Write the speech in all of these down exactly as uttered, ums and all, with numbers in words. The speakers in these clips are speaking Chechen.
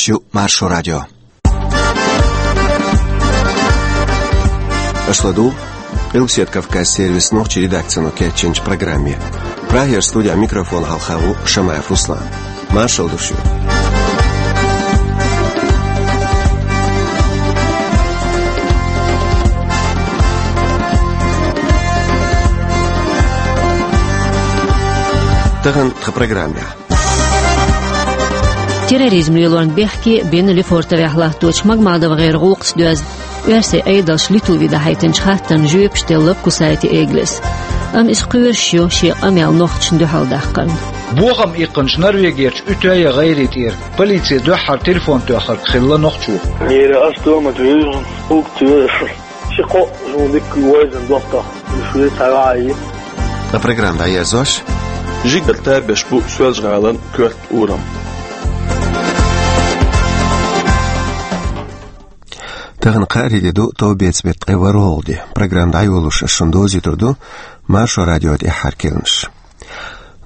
Шу Маршо радио. Аша ладугӀу Къилбаседа Кавказан сервисан нохчийн редакцино кечйинчу программе. Прагера студехь микрофон хьалха ву Шамаев Руслан. Маршалла ду шуьга. Тахана тхан программехь. Терроризм лелорна бехке бина Лефортовехь латточу МагмадовгӀеран гӀуллакхца доьзна оьрсийн Ӏедалша Литве дӀахьийтинчу хаттарна жоьпаш делла Кусайте Эглис. Амма иза кхоьруш ю шен къамел нохчашна дуьхьал даккхарна. Бохам иккхинчу Норвегерчу Утёя гӀайре тӀера полице дуьххьара телефон тоьхнарг хилла нохчо. Нера ас томат вевзан, хӀугтоьшу. Ши-кхоъ зун дикка вайзан доттагӀа, уьш вен ца ваьӀий. Ткъа программа дӀаерзош, жигара табеш бу Соьлжа-ГӀалин коьрта урам. Тахана кхаарин де ду, товбеца беттан ткъе ворхӀалгӀа де. Программа дӀайолош ас шуна довзуьйтур ду Маршо радион тӀаьххьара керланаш.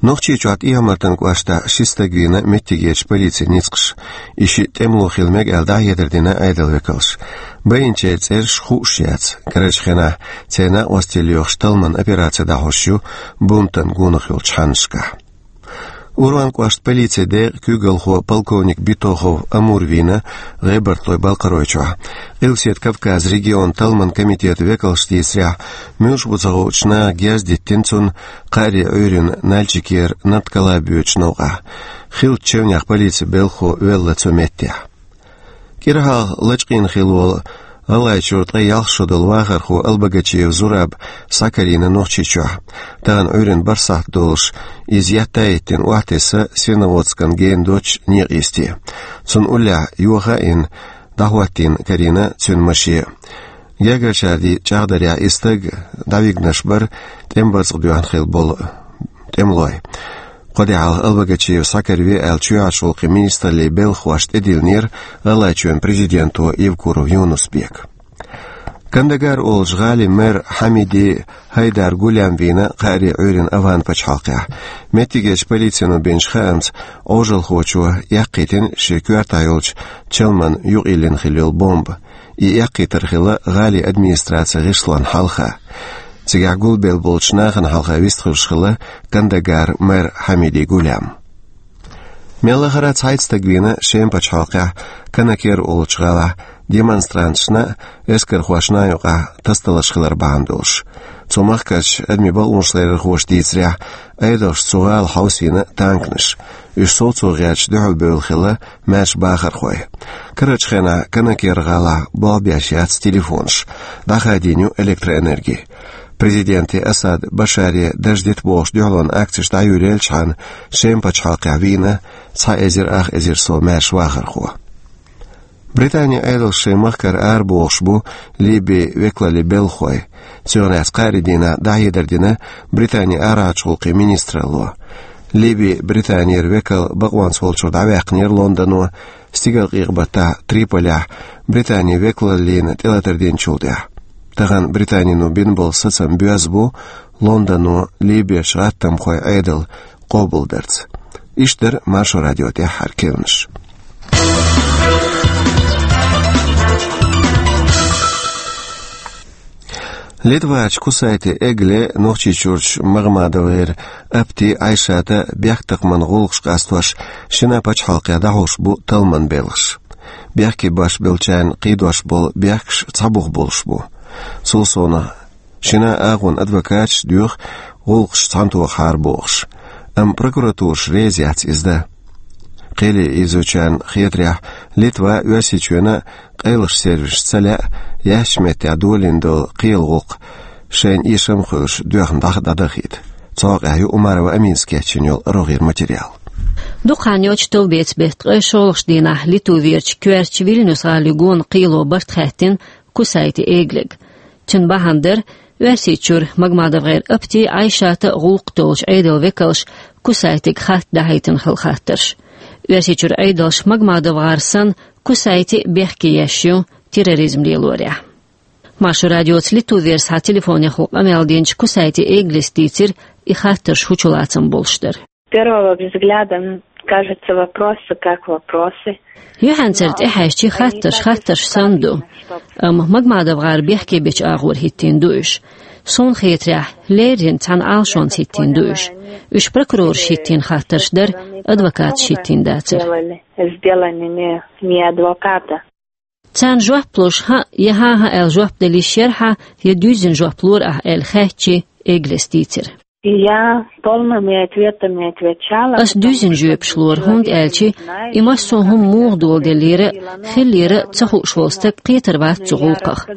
Нохчийчохь ТӀехьа-Мартан кӀоштахь ши стаг вийна меттигерчу полицин ницкъаша. И шиъ тӀемало хила мега аьлла дӀахьедар дина Ӏедалан векалша. Байинчеран цӀераш хууш яц. Карарчу хенахь церан накъосталла йохуш талламан операци дӀахьош ю бунтан гонах йолчу хьаннашкахь. Урван кӀоштан полицин декъан куьйгалхо полковник Битохов Амур вийна ГӀебартойн-Балкхаройчохь. Къилбаседа Кавказан регионан талламан комитетан векалша дийцарехь, муьлш бу ца хуучу наха герз диттина цунна, кхаарин Ӏуьйранна Нальчикера Нарткалаб йоьдучу новкъахь. Хиллачу чевнех полицин белхахо велла цу меттехь. КӀира хьалха лачкъийна хилла волу ГӀалгӀайчуьра ткъе ялх шо долу вахархо Албогачиев Зураб схьакарийна Нохчийчохь. Тахана Ӏуьйранна бархӀ сахьт долуш иза етта а йиттина охьатесна Серноводскан гена доцучу некъан йисте. Цунна уллехь йоха а йина, дӀахӀоттийна карийна цуьнан маше. Гергарчара дийцичу чӀагӀдарехь, и стаг дӀавигнарш бара тӀеман барзакъ доьхна хилла болу тӀемалой. Кхо де хьалха Албогачиев схьакарве аьлла, чоьхьарчу гӀуллакхийн министраллин белхахошна тӀедиллинера ГӀалгӀайчоьнан президенто Евкуров Юнус-Бека. Кандагар олучу гӀалин мэр Хьамиди Хьайдар Гулям вийна кхаарин Ӏуьйранна Афган пачхьалкхехь. Меттигерчу полицино бинчу хаамца, Ӏожалхочо эккхийтина шен коьртахь йолчу чалман юкъайиллина хилла йолу бомба. И эккхийтар хилла гӀалин администрацин гӀишлонна хьалха. Цигахь гулбелла болчу нахана хьалха вистхуьлуш хилла Кандагаран мэр Хьамиди Гулям. Мел лахара цхьайтта стаг вийна Шеман пачхьалкхехь Канакер олучу гӀалахь демонстранташна а, эскархошна а юкъахь тасадаларш хилар бахьана долуш. Цу махкарчу адамийн бакъонаш ларъярхоша дийцарехь, Ӏедалша цу гӀала хьовсийна танканаш. Уьш совцо гӀерташ дуьхьалбевлла хилла маьрша бахархой. Карарчу хенахь Канакер гӀалахь болх беш яц телефонаш, дӀахадийна ю электроэнерги. Президенте Асад Башаре дарж дита бохуш дуьхьалонан акцеш дӀайолаелчхьана, Шеман пачхьалкхехь вийна цхьа эзар ах эзар сов маьрша вахархо. Британин Ӏедалша шайн махкара арабохуш бу Ливин векалаллин белхахой. Цунах лаьцна кхаарин дийнахь дӀахьедар дина Британин арахьарчу гӀуллакхийн министралло. Ливин Британера векал бакъонца волчуьра дӀаваьккхинера Лондоно, стигалкъекъа-баттахь Триполехь Британин векалаллина тӀелатар динчул тӀаьхьа. Тахана Британино бина болу сацам боьзна бу Лондоно Ливерчу гӀаттамхойн Ӏедал къобалдарца. Иштта дара Маршо радион тӀаьххьара керланаш. Литварчу Кусайте Эгле, Нохчийчуьрчу МагӀмадовгӀеран Апти, Ӏайшата бехктакхаман гӀуллакхаш къастош шина пачхьалкхехь дӀахьош бу талламан белхаш. Бехке беш болчарна кхийдош болу бехкаш цхьа бух болуш бу. Цул совнаха, шина агӀонан адвокаташ доьху гӀуллакхаш цхьаьнатохахьара бохуш. Амма прокуратураш реза яц иза дан. Кхеле ийзочарна хетарехь, Литва а, Оьрсийчоьнан а къайлаха сервисаш ца лаьа яьссачу меттехь долийна долу кхелан гӀуллакх шайна эшам а хуьлуш доьхна дӀа-, дӀадахийта. Цу хьокъехь ю Умарова Аминас кечйина йолу рогӀера материал. Дукха хан йоццуш товбеца беттан ткъе шолгӀачу дийнахь Литверчу коьртачу Вильнюс гӀалин гонан кхело барт хаьттина Кусайте Эглега. Цуьнан бахьана дара Оьрсийчуьра МагӀмадовгӀеран Апти, Ӏайшата гӀуллакх долчу Ӏедалан векалша Кусайтега хатта дахьийтина хилла хаттарш. Оьрсийчуьра Ӏедалша МагӀмадовгӀар санна Кусайте бехке еш ю терроризм лелорехь. Маршо радиоца Литверца телефонехула къамел динчу Кусайте Эглис дийцира и хаттарш хӀун чулацам болуш дара. Первого взгляда, м, Кажется, вопросы как вопросы. Юхьанцара тӀехьаьжчи хаттарш хаттарш санна ду. Амма МагмадовгӀар бехке бечу агӀор хӀиттийна ду уьш. Суна хетарехь, леррина цхьана Ӏалашонца хӀиттийна ду уьш. Уьш прокурораш хӀиттийна хаттарш дара, адвокаташ хӀиттийна дацара. Сделали, сделали не, не адвоката. Царна жоп луш, хӀаъ я хӀан-хӀа аьлла жоп дала йиш яра хьан, я дуьззина жоп лора ахь аьлла хаьттичи, Эглес дийцира. Я полными ответами отвечала. Ас дуьззина жоьпаш лора, хӀунда аьлча и массо а хӀума муха доладеллера, хиллера а ца хууш волу стаг кхетар вац цу гӀуллакхах.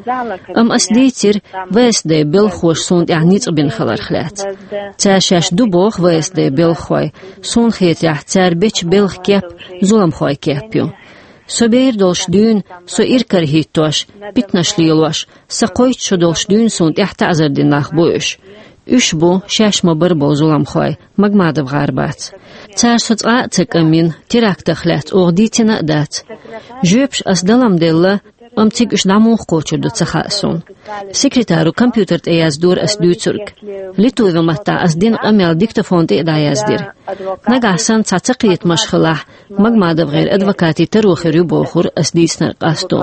Амма ас дийцира, В С Д белхахоша суна тӀехь ницкъ бина хиларх лаьцна. Цара шаьш ду боху В С Д белхахой, суна хетарехь, цара бечу белхан кеп зуламхойн кеп ю. Со бер долуш дуьйна со иракарахӀиттош, питанаш лелош, сан кхойтта шо долуш дуьйна суна тӀехь таӀзар дина нах бу уьш. Уьш бу шаьш ма-барра болу зуламхой, МагмадовгӀар бац. Цара со цкъа а ца кӀамйина, терактах лаьцна оха дийцина а дац. Жоьпаш ас дала-м делла, амма цига уьш дӀа муха кхочур ду ца хаьа суна. Секретаро компьютер тӀе яздора ас дуьйцург. Литви маттахь ас дина къамел диктофон тӀе а дӀаяздира. Нагахь санна цхьа цакхетамаш хилахь, МагмадовгӀеран адвокатийн таро хир ю бохура ас дийцинарг къасто.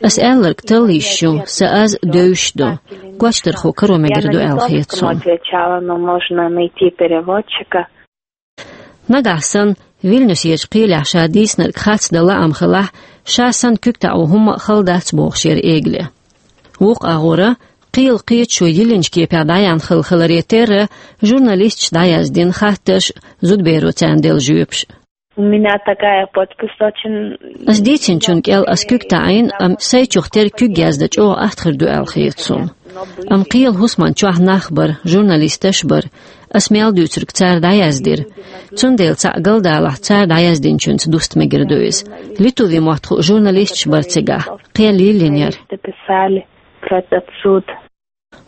Ас аьлларг талла йиш ю, сан аз девзаш ду. Гочдархо каро мегар ду аьлла хета суна. Отвечала, но можно найти переводчика. Нагахь санна, Вильнюсерчу кхелехь ша дийцинарг харц дан лаам хилахь, ша санна куьг таӀо хӀумма а хала дац бохуш яра Эгле. Вукху агӀора, кхелан кхеташо йиллинчу кепехь дӀаяьхна хилла хиларе терра, журналисташа дӀаяздина хаттарш, зудаберо царна делла жоьпаш. У меня такая подпись очень... Ас дийцинчунна кӀел ас куьг таӀийна, амма сайчух тера куьг яздан чӀогӀа атта хир ду аьлла хета суна. Амма кхелан хӀусаман чохь нах бара, журналисташ а бара. Ас мел дуьйцург цара дӀаяздира. Цундела цхьаъ галдалахь, цара дӀаяздинчуьнца дуста мегар ду иза. Литви мотт хуу журналисташ бара цигахь. Кхел йиллина яра. Дописали про этот суд.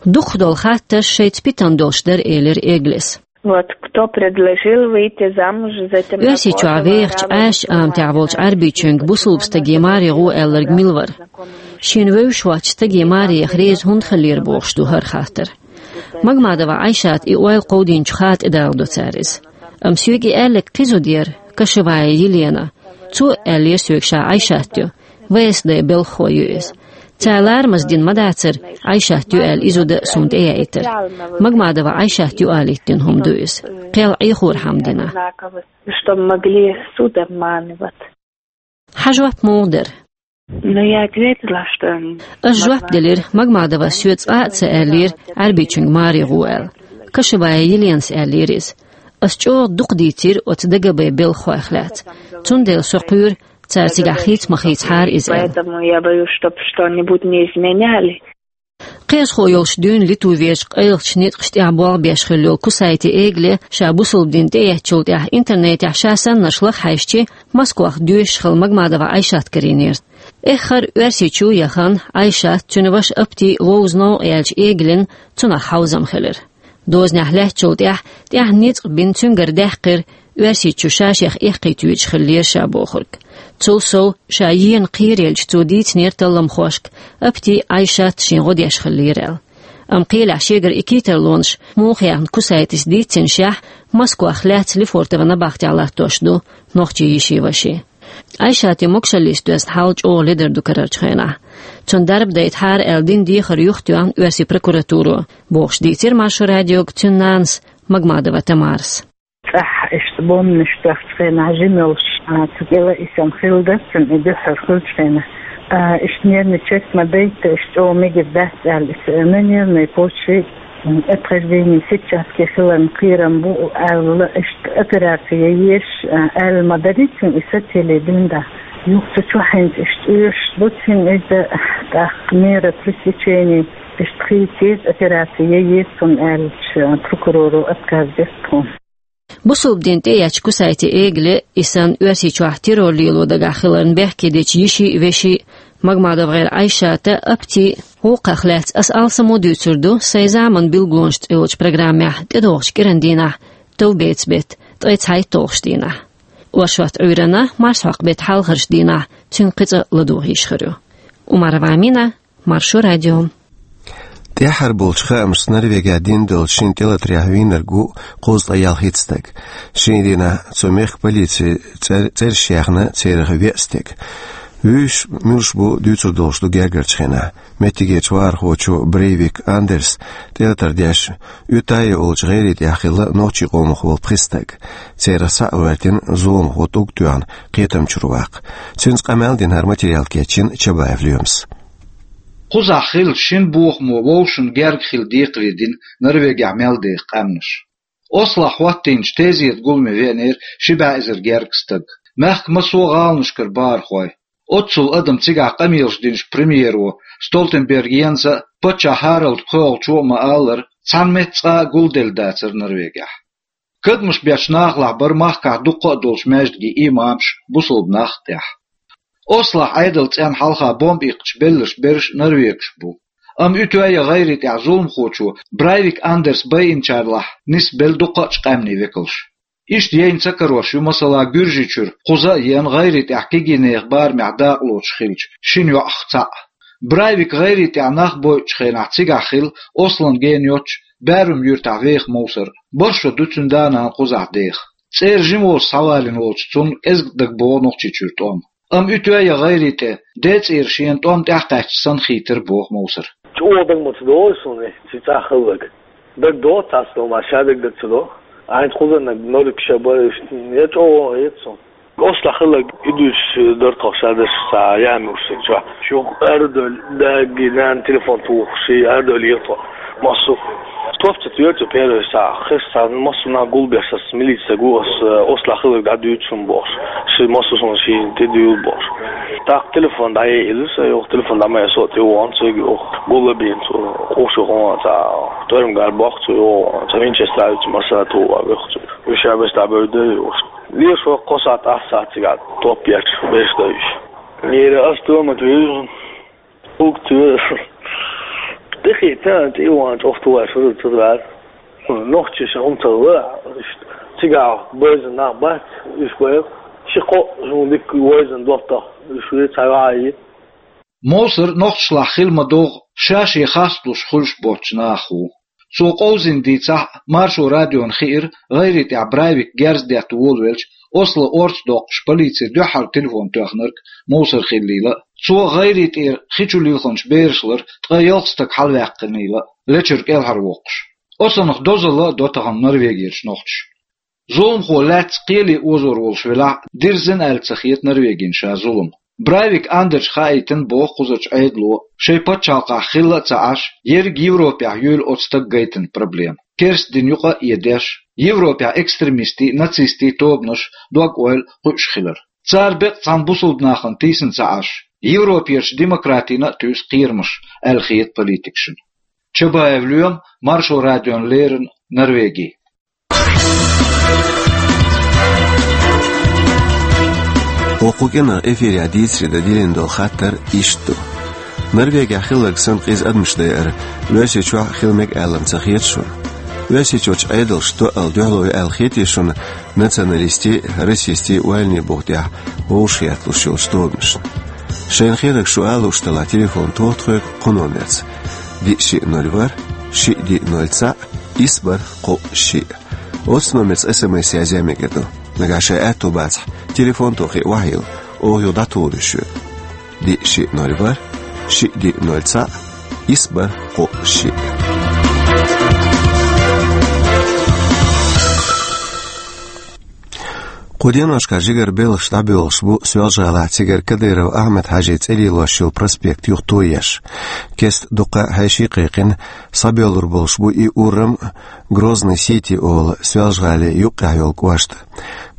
Дукхах долу хаттарш шайца питана долуш дара, элира Эглес. Вот кто предложил выйти замуж за этим... Оьрсийчохь вехачу Ӏаьржачу аматехь волчу Ӏаьрбийчуьнга бусулба стаге маре гӀо аьлларг мила вара? Шена вевзаш воцчу стаге маре яха реза хӀунда хиллера бохуш ду хӀара хаттар. Магмадова Ӏайшата и ойла кховдийначу хаа тӀедалладо цара иза. Амма соьга и аьлларг кхин зуда яра, Кашевая Елена. Цо аьллера соьга ша Ӏайшат ю. В С Д белхахо ю иза. Цара ларамаза дина ма дацара, Ӏайшат ю аьлла, и зуда а суна тӀеяийтар. Магмадова Ӏайшат ю алийта дина хӀума ду иза. Кхел Ӏехорхьама дина. Чтобы могли суд обманывать. Хьан жоп муха дара? Но я ответила, что... Ас жоп делира, Магмадовас соьца цкъа а ца аьллера, Ӏаьрбийчуьнга маре гӀо аьлла. Кашевая Еленас аьллера иза. Ас чӀогӀа дукха дийцира оцу Д Г Б белхахойх лаьцна. Цундела со кхоьру, цара цигахь хийца ма хийцахьара иза аьлла. Поэтому я боюсь, чтоб что-нибудь не изменяли. Кхиазхо йолуш дуьйна Литвин вежарий къайлахчу ницкъаш тӀехь болх беш хилла йолу Кусайте Эгле ша бусулба дин тӀеэцначул тӀаьхьа интернетехь ша саннарш лаха хьаьжчи, Москвах доьшуш хилла Магмадова Ӏайшат карийнера. Эххар Оьрсийчу яхана, Ӏайшат, цуьнан ваша Апти вовза новкъа яьлча Эглин цунах хьовзам хилира. Дозанехь лаьцначул тӀаьхьа, тӀаьхьа ницкъ бина цуьнгара даьккхира, Оьрсийчу ша шех эккхийтуьйтуш хиллера ша бохург. Цул сов, ша ена кхераелча цо дийцинера талламхошка, Апти Ӏайшат шен гӀо деш хиллера аьлла. Амма кхелехь шегара и кхетарлонаш муха яьхна Кусайтис дийцинашехь, Москвах лаьцна Лефортова набахтехь латтош ду нохчийн йиши-ваши. Ӏайшатан могушаллица доьзна хьал чӀогӀа ледар ду карарчу хенахь. Цунна дарба дайтахьара аьлла дина дехар юхатоьхна оьрсийн прокуратуро, бохуш дийцира Маршо радиога цуьнан нанас Магмадова Тамарас. ЦӀахь иштта бомбанаш тоьхначу хенахь жима йолуш, а, цу кӀела и санна хилла дара цуьнан и дуьххьара хиллачу хенахь. А, иштта нервный чек ма дайта, иштта чӀогӀа мегар дац аьлла, иза на нервной почве, м, отхождение сетчатки хиларна кхерам бу аьлла, иштта операци ян езаш, а, аьлла ма дарий цуьнан и сацале дуьйна дӀа. Юха цу чохь хӀинца иштта оьшуш ду цуьнан иза, тӀаккха мера пресечения иштта хийцира, операци ян еза цунна аьлча, прокуроро отказ дира тхуна. Бусулба дин тӀеэцначу Кусайте Эгле, и санна Оьрсийчохь террор лело дагахь хиларна бехке дечу йиши а, веши а, Магмадовгар Ӏайшата а, Апти а гӀуллакхах лаьцна ас алсамо дуьйцур ду «Сайн заманан билгалонаш» цӀе йолчу программехь тӀедогӀучу кӀиран дийнахь, товбеца бетта, ткъе цхьайтталгӀачу дийнахь. Оршот Ӏуьйранна, марсхьокху беттан хьалхарчу дийнахь цуьнга кхин цкъа ладугӀуш хир ю. Умарова Амина, Маршо радио. ТӀехьара болчу хаамашца Норвегехь дина долчу шина тӀелатарехь вийнарг ву кхузткъе ялхитта стаг. Шина дийнахь цу мехкан полици цӀер-, цӀераш яьхна церах веа стаг. Вуьйш муьлш бу дуьйцур долуш ду гергарчу хенахь. Меттигерчу вахархочо Брейвик Андерс тӀелатар деш, Уьтайя олучу гӀайре тӀехь хилла нохчийн къомах волу пхи стаг. Церах схьа а гӀоьртина, зуламхо тӀулг а тоьхна, кхетам чуьра ваккха. Цуьнца къамел дина хӀара материал кечйина Чабаев Лоьмас. Кхузахь хилла шина бохамо вовшашна герга хила декхаре дина Норвегехь мел деха къаьмнаш. Ослохь хӀоттийначу тезета гуламе веанера ши бӀе эзар герга стаг. Мехкан массо а гӀаланашкара бахархой. Оццул адам цигахь къамелаш динчу премьеро Столтенберг Йенса а, паччахь Харальд кхоалгӀачо а ма-аллара, цхьана метта цкъа а гулделла дацара Норвегехь. Кадамаш бечу нахалахь бара махкахь дуккха а долчу маьждигийн имамаш, бусалба нах а тӀехь. Ослохь Ӏедалан цӀенна хьалха бомба иккхича белларш берш норвегаш бу. Амма Уьтайя гӀайре тӀехь зуламхочо Брайвик Андерс байинчарлахь нисбелла дуккха а къаьмнийн векалш. Иштта яйна ца карош ю, масала, Гуьржийчуьра кхуза а еана, гӀайре тӀехь кегийнехан барамехь дакъалоцуш хиллачу шина йоӀах цхьаъ. Брайвик гӀайре тӀехь нах бойучу хенахь цигахь хилла Ослон гена йоцчу Баьрум юьртахь веха Мовсар. Барх шо ду цуьнан да-нана кхузахь деха. ЦӀера жима волуш схьавалийна волчу цунна кӀезиг дагабогӀу Нохчийчуьра тӀом. Амма Уьтайя гӀайре тӀе ден цӀера шена тӀом тӀаьхьакхаьчча санна хийтира, боху Мовсара. ЧӀогӀа дага ма ца догӀу суна, и цхьа хилларг. Дага догӀу цхьацца, ма ша дага ца догӀу. Айна кхузаннаг норик ша бара, я чӀогӀа хета суна. Ослахь хилларг и дуьйцуш дара тхо ша дерш цхьа яьмуьйш саг чохь. Шу арадевлла, даьггий, нана телефон тухуш, и арадевлла ехьа тхо. Массо а топ ца тоьцу первый схьа, хиш схьа, массо а нах гулбеш аса милица саг ву, аса, э, Ослахь хилларг дӀадуьйцу шуна бохуш. Ши массо а суна шийна тӀедуьйла бохуш. ТӀаккха телефон дӀаяйъина аса, юха телефон дӀа ма яьлла, со а тӀе вахана, цига юха гулбина цо, къуш юха цхьа тӀоьрмагара бохку цо, юха цхьа винчестер а ю цу, массара а тухуш ваьхна цо. Уьш а бес дӀабевдда юха. Леш ваха кхо сахьт, ахь сахьт цигахь топ ечу берш ду уьш. Лера ас тома туьйсу, уг туьйсу. Тихий тан тӀе ван чӀогӀа тухуш вара цу дара. Нохчаша хӀума ца вара, иштта. Цигахь беза нах бац, уьш баьхна. Ши-кхо зун дика вайзина доттагӀа, уьш вен цхьа ваьхьа. Мовсар нохчашлахь хила ма догӀу, ша-шен хасталуш хуьлуш боцчу нахах ву. Цо къовзийна дийцахь а, Маршо радиона хиира гӀайре тӀехь Брайвик герз детта волавелча, Осло орца доккхуш, полице дуьххьара телефон тоьхнарг Мовсар хиллийла а, цо гӀайре тӀера хи чу лилхинчу бераш лара ткъе ялх стаг хьалаваьккхинийла а, лечуьра кӀелхьарвоккхуш. Оцунах дозалла а до тахана Норвегерчу нохчаша. Зуламхо лаьцна кхеле озор волуш велахь а, дирзина аьлла ца хета Норвегина ша зулам. Брайвик Андерша хаийтина, боху кхузарчу Ӏедало, шайн пачхьалкхахь хилла а ца Ӏаш, ерриг Европехь юйла оцу стага гайтина проблема. Керста дин юкъа а эдеш, Европехь экстремистийн, нацистийн тобанаш дог-ойла кхуьуш хилар. Цара беккъа цхьана бусалба нахана тийсина ца Ӏаш, Европерчу демократина а туьйсу кхерамаш, аьлла хета политикашна. Чабаев Лоьма, Маршо радиона леррина, Норвеги. Оцу кху кӀиранах эфирехь дийцаре дан диллина долу хаттар иштта ду. Норвегехь хилларг санна къиза адамаш дайар Оьрсийчохь хила мега аьлла ца хета шуна? Оьрсийчуьрчу Ӏедалша тоъал дуьхьало ю аьлла хетий шуна националистийн, расистийн ойланийн буха тӀехь вовшахъетталуш йолчу тобанашна? Шайна хетарг шу ала лууш делахь, телефон тоха тхоьга кху номерца: диъ шиъ ноль ворхӀ, шиъ диъ ноль цхьаъ, исс бархӀ кхоъ шиъ. Оцу номерца эс эм эс язъян мегар ду. Нагахь шайн аьтто бацахь, телефон тохий охьайилла, оха юха дӀатухур ю шуьга. Диъ шиъ ноль ворхӀ, шиъ диъ ноль цхьаъ, исс бархӀ кхоъ шиъ. Кху деношкахь жигара белхаш дӀабоьлхуш бу Соьлжа-ГӀалахь, цигара Кадыров Ахьмад-Хьаьжин цӀе лелош йолу проспект юха тоеш. Кеста дуккха а хьеший кхайкхина, схьабоьллур болуш бу и урам, Грозный-Сити олу Соьлжа-ГӀалин юккъехь йолу кӀошт.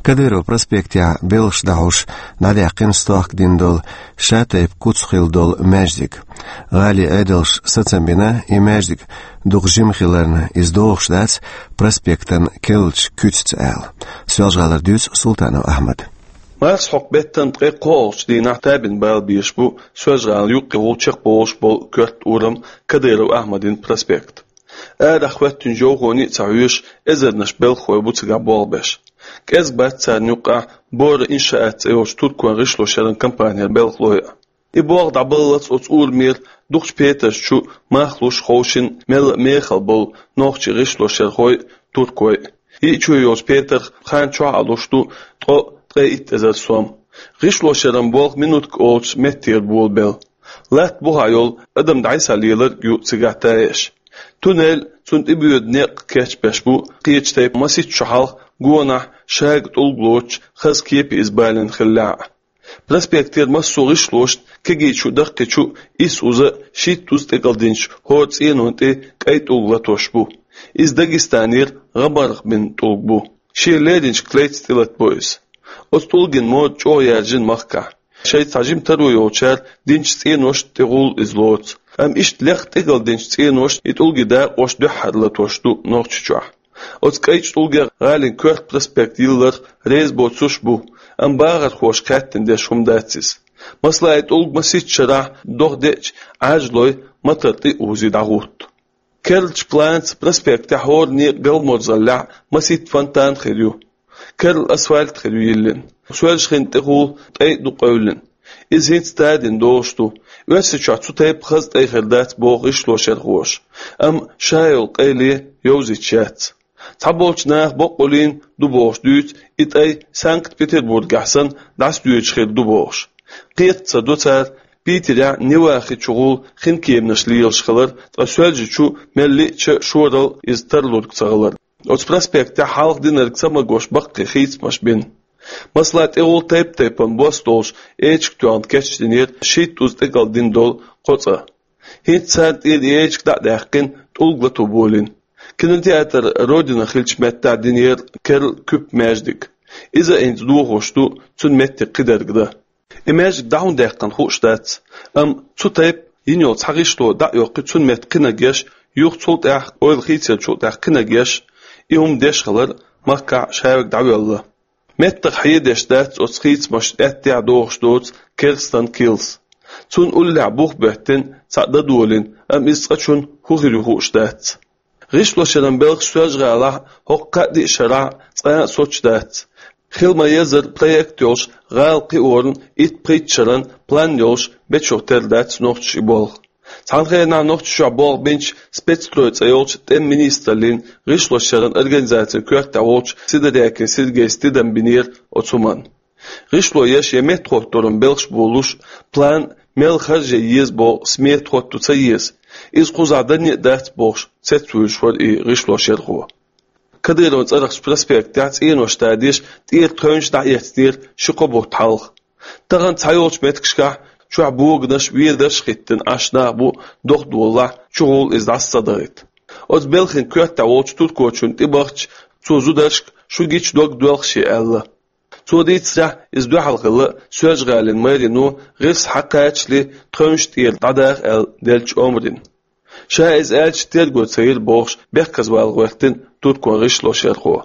Кадыров проспектехь белхаш дӀахьош дӀадаьккхина стохка дина долу шатайпа куц хилла долу маьждиг. ГӀалин Ӏедалша сацам бина и маьждиг дукха жима хиларна, иза догӀуш дац проспектан керлачу куьцаца аьлла. Соьлжа-ГӀалара дуьйцу Султанов Ахьмада. Марсхьокху беттан ткъе кхоалгӀачу дийнахь табина бала безаш бу Соьлжа-ГӀалин юккъе волу чекхболуш болу коьрта урам, Кадыров Ахьмадин проспект. Арахь хӀоьттинчу йовхоне а ца хьоьжуш, эзарнаш белхахой бу цигахь болх беш. КӀезиг бац царна юккъехь «Бора иншаат» цӀе йолчу туркойн гӀишло шеран компанера белхалой а. И болх дӀабаллалц оцу урамера дукхачу петарш чу мах луш ховшина мелла а мехала болу нохчийн гӀишлошъярхой а, туркой а. Йиъчо йолчу петарх хан чохь а луш ду ткъо ткъе итт эзар сом. ГӀишлошъяран болх минутка олучу меттера болабелла. Латта бухахь йолу адам дӀасалеларг ю цигахь таеш. Туннель, цунна тӀебоьду некъ кечбеш бу, кхечу тайпа маситта шо хьалха гонахь шага тӀулг лоцуш, хаза кепе иза балийна хиллехь а. Проспектера массо а гӀишлошна кегийчу а, даккхийчу а, исс-уза а, шийтта-уза а тӀекӀалдинчу хӀора цӀенонна тӀе кӀайн тӀулг латош бу. Иза Дагестанера гӀа-марха бина тӀулг бу. Шен леринчу клейца тӀелатабо иза. Оцу тӀулган мода чӀогӀа яьржина махкахь. Шайца цхьа жима таро йолчара динчу цӀеношна тӀе гӀуллакх иза лоцу. Амма иштта лекха тӀекӀалдинчу цӀеношна и тӀулгийн дакъош дуьххьара латош ду Нохчийчохь. Оцу кӀайчу тӀулгех гӀалин коьрта проспект йилларх реза боцурш а бу, амма бахархоша хаьттина деш хӀума дац иза. Масала, и тӀулг маситта шарахь дохадеъча, Ӏаьржалой мотор тӀе а узий дӀагӀутту. Керлачу планца проспектехь хӀора некъан галморзаллехь маситта фонтан хир ю. Керла асфальт хир ю йиллина. Соьлжа хин тӀехула тӀай а ду къевлина. Иза хӀинца тадина долуш ду. Оьрсийчохь цу тайпа хаза тӀай хир дац боху гӀишлошъярхоша. Амма ша йолу къайле йовзийта яц. Цхьаболчу наха боккъаллина ду бохуш дуьйцу и тӀай Санкт-Петербургехь санна дӀасадоьдуш хир ду бохуш. Кхетта ца до цара Питерехь Неван хи чухула хин кеманаш лелаш хилар, ткъа Соьлжа чу мел лиъча а шоралла иза тарлург ца хилар. Оцу проспектехь хьалха динарг ца магош баккхий хийцамаш бина. Масала, тӀехула тайп-тайпана бос долуш эчиг тоьхна кечдинера шийтта-уза тӀекӀалдина долу кхо цӀа. ХӀинца царна тӀера и эчиг дӀа а даьккхина, тӀулг лато болийна. Кинотеатр «Родина» хиллачу меттехь динера керла куьпа маьждиг. Иза а хӀинца дохош ду цуьнан меттиг кхидерг дан. И маьждиг дӀа хӀунда даьккхина хууш дац, амма цу тайпа йина йолу цхьа гӀишло дӀа а йоккхий, цуьнан метта кхинарг еш, юха цул тӀаьхьа ойла хийцаярчул тӀаьхьа кхинарг еш, и хӀума деш хилар махкахь шаверг дӀавоьлла. Меттах хьедеш дац оцу хийцамашна аьттехьа дохуш доцу керстанан килс. Цунна уллехь бух боьттина, цхьаъ дан долийна, амма иза цкъачунна хӀун хир ю хууш дац. ГӀишлошъяран белхаш Соьлжа-ГӀалахь хӀокху кхаа-диъ шарахь цкъа а соцуш дац. Хила ма-еззара проект йолуш, гӀала кхиоран итт-пхийтта шаран план йолуш бечух тера дац нохчаша и болх. Цхьана хенахь Нохчийчохь болх бинчу «Спецстрой» цӀе йолчу тӀеман министраллин гӀишлошъяран организацин коьртехь волчу Сидорякин Сергейс тидам бинера оцу хӀуманна. ГӀишло еш я меттахӀоттаран белхаш болуш, план мел харже еза боху смета хӀотто ца еза. Иза кхузахь данне а дац бохуш, цецвуьйлуш вара и гӀишлошъярхо. Кадыровн цӀарахчу проспектехь цӀенош тадеш тӀера тхевнаш дӀаэцнера ши-кхо бутт хьалха. Тахана цхьайолчу меттигашкахь чохь боганаш, ведарш а хӀиттина Ӏаш нах бу, дохадолалахь, чухула иза дӀасадахийта. Оцу белхан коьртехь волчу туркочунна тӀебахча, цо зударшка: «Шу гича дог доьлху шен», — аьлла. Цо дийцарехь, иза дуьхьал хилла Соьлжа-ГӀалин мэрино гӀирс хьакхачале тхевнаш тӀера дӀадаха аьлла деллачу омрина. Ша иза аьлча терго ца йира бохуш, бехказвала гӀоьртина туркойн гӀишлошъярхо.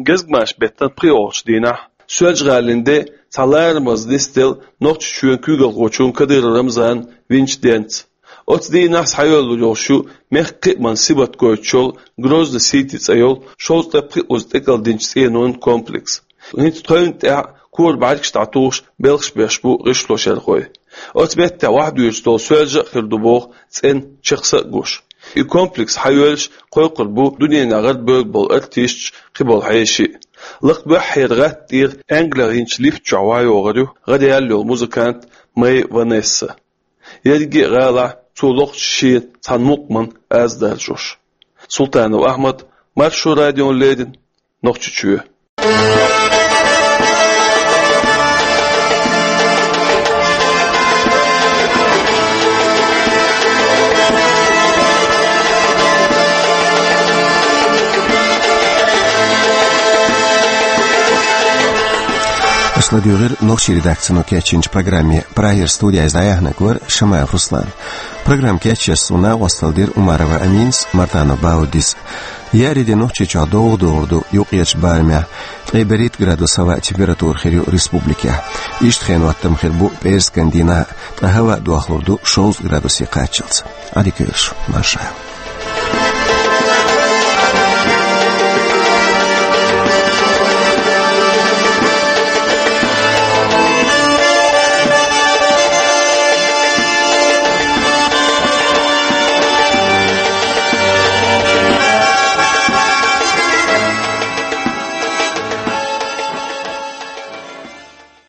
Гезгмашин беттан пхоьалгӀачу дийнахь Соьлжа-ГӀалин де цхьа ларамаза нисделла Нохчийчоьнан куьйгалхочунна Кадыров Рамзанна винчу денца. Оцу дийнахь схьайоьллур йолуш ю мехкан кхиаман сибат гойтуш йолу Грозный-Сити цӀе йолу шовзткъе пхоьазза тӀекӀалдинчу цӀенонан комплекс. ХӀинца тхевнна тӀехь кора бӀаьргаш дӀатухуш белхаш беш бу гӀишлошъярхой. Оцу меттехь вахьдуьйцуш долу Соьлжа а хир ду боху цӀена чехса а гуш. И комплекс схьайоьллуш кхойкхур бу дуьненахь гӀарабевлла болу артисташ, кхиболу хьеший. Лакха буьххьера гӀатта тӀера Англехь йинчу лифта чохь вахьайогӀур ю гӀараяьлла йолу музыкант Мэй Ванесса. Ерриге а гӀалахь цо лохучу шен цхьана мукъаман аз даржош. Султанов Ахьмад, Маршо радиона леррина, Нохчийчоь. Аша ладуьйгӀира нохчийн редакцино кечйинчу программе. Прагера студехь иза дӀаяьхьнарг вара Шамаев Руслан. Программа кечъеш суна накъосталла дира Умарова Аминас, Мартанов Бауддис. Еарин де Нохчийчохь довгӀа догӀур ду, юккъерчу барамехь ткъе берхӀитта градус хӀаваан температура хир ю республикехь. Иштта хенан хӀоттам хир бу пӀераскан дийнахь, ткъа хӀаваъ дохлур ду шовзткъа градусе кхаччалц. Ӏадика йойла шун, марша Ӏойла.